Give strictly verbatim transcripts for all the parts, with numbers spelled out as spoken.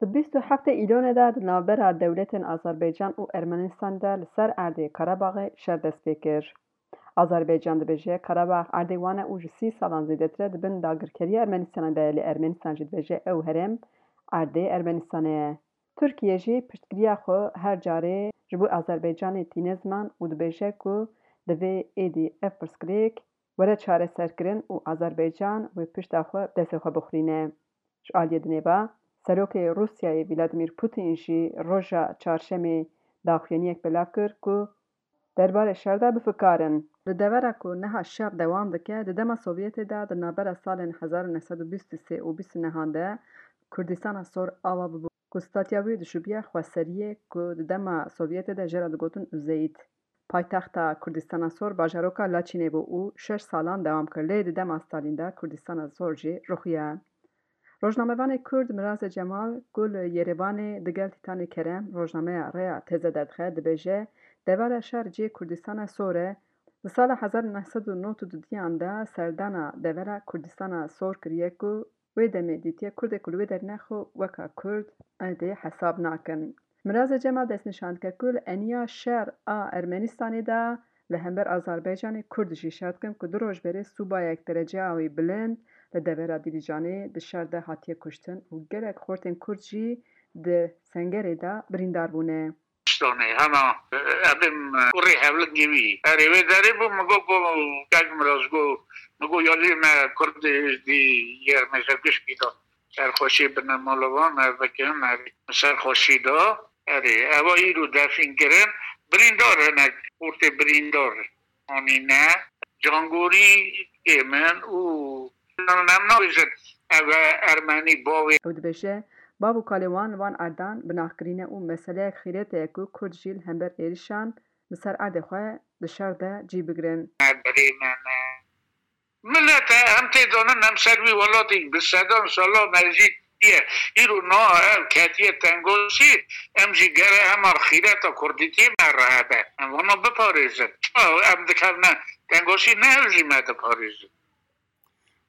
Di bîst û heftê Îlonê de di navbera dewletên Azerbaycan û Ermenistanê de li ser erdê Qerebaxê şer dest pê kir. Azerbaycan dibêje Qerebax erdê wan e û ji sî salan zêdetir e di bin dagirkeriya Ermenistanê de ye, lê Ermenistan jî dibêje ew herêm erdê Ermenistanê ye. Tirkiye jî piştgiriya xwe her carê ji bo Azerbaycanê tîne ziman û dibêje ku divê êdî ev pirsgirêk were çareserkirin û Azerbaycan wê pişta xwe bi destê xwe bixurîne. Ji aliyê dinê ve, Serokê Rûsyayê Vladimir Putin jî roja çarşemê daxuyaniyek belav kir ku derbarê şer de bifikarin. Li devera ku niha şer dewam dike, di dema Sovyetê de di navbera salên hezar û neh sed û bîst û sê û bîst û nehan de Kurdistana Sor ava bûbû ku statya wî dişubiya xweseriyê ku di dema Sovyetê de jê re digotin Uzeyît. Paytexta Kurdistana Sor bajaroka Laçînê bû û şeş salan dewam kir, lê di dema Stalîn de Kurdistana Sor jî ruxiya. Rojnamevanê Kurd Miraze Cemal ku li Yerevanê digel Tîtanê Kerem rojnameya Rêya Teze derdixe, dibêje, devera şer cihê Kurdistana Sor e. Di sala hezar û neh sed û nod û duduyan de serdana devera Kurdistana Sor kiriye ku wê demê dîtiye Kurdê ku li wê derê ne xwe weka Kurd erdê hesab nakin. Miraze Cemal destnîşan dike ku li eniya şer a Ermenistanê de li hember Azerbaycanê Kurd jî şer dikin ku du roj berê sûbayek dereceya wî bilind li devera Dîlîcanê di şer de hatiye kuştin û gelek xortên Kurd jî di sengerê de birîndar bûne. Kurdistane, hema, e, em ê, e, kurê hevlingê wî. Erê, wê derê bû, min got, got, kek Miraz got, min got, ya lê me Kurdê Êzdî yê me ji gişkî de serxweşiyê bine mala wan, ev bikin, erê, serxweşî de, erê, eva îro defîn kirin, birîndar hinek, ortê birîndar anîne, cangorî ê min û em nabêjin, ev e Ermenî bavê. Ew dibêje, bav û kalê wan li van erdan binaxkirî ne û meseleyek xîretê ye ku Kurd jî li hember êrişan li ser erdê xwe di şer de cî bigirin. Berê me ne. Milet e, em tê zanin, em ser wî welatî bi sedan sala mejî ye. Îro niha ev ketiye tengosî, em jî gere hema xîreta kurdîtiyê me re hebe. Em vana biparêzin. Çima em dikevne tengosî, ne ew jî me diparêzin.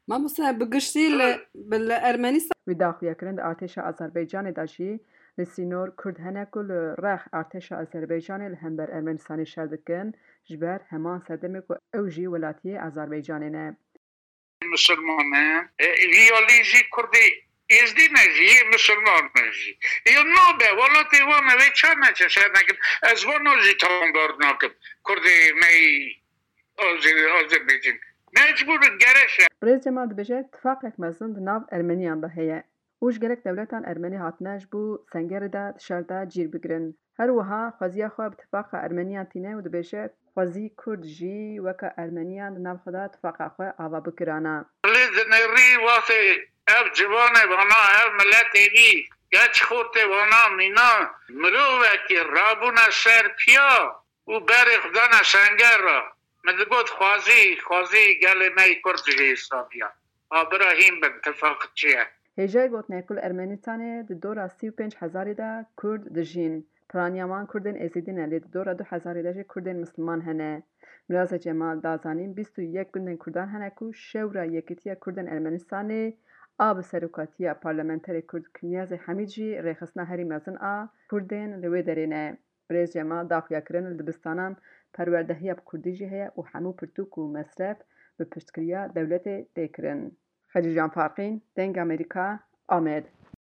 Mamoste, bi giştî li, bi, li Ermenistan. Wî daxuya kirin di artêşa Azerbaycanê de jî li sînor Kurd hene ku li rex artêşa Azerbaycanê li hember Ermenistanê şer dikin, ji ber heman sedemê ku ew jî welatiyê Azerbaycanê ne. Misilman e, e, ya lê jî Kurdê Êzdî ne jî, yê misilman ne jî. Ya nabe, welatê wan e, wê çar neçe şer nekin. Ez vana jî tawanbar nakim. Kurdê me yî Azê-, Azerbaycan. Mecbûr in gere şer. Birêz Cemal dibêje, tifaqek mezin di nav Ermeniyan de heye û ji gelek dewletan Ermenî hatine ji bo sengerê de di şer de cîr bigirin. Her wiha xweziya xwe bi tifaqa Ermeniyan tîne û dibêje, xwezî Kurd jî weke Ermeniyan di nav xwe de tifaqa xwe ava bikirana. Lê dinêrî wextê ev ciwanê vana, ev miletê wî, geç xortê vana mîna, mirovekî rabûne ser piya û berê xwe dane senger re. Min digot, xwezî, xwezî gelê me yî Kurd jî îslamî ye. A bira hîn bin, tifaq çi ye? Hêjayî gotinê ku li Ermenistanê di dora sî û pênc hezarî de Kurd dijîn. Piraniya wan Kurdên Êzidî ne, lê di dora du hezarî de jî Kurdên Misliman hene. Miraze Cemal da zanîn, bîst û yek gundên Kurdan hene ku Şewra Yekîtiya Kurdên Ermenistanê a bi serokatiya parlamenterê Kurd Kinyazê Hemîd jî rêxistina herî mezin a Kurdên li wê derê ne. Birêz Cemal daxuya kirin li dibistanan perwerdehiya bi kurdî jî heye û hemû pirtûk û mesref bi piştgiriya dewletê tê kirin. Xecîcan Farqîn, Dengê Amerîka, Amed.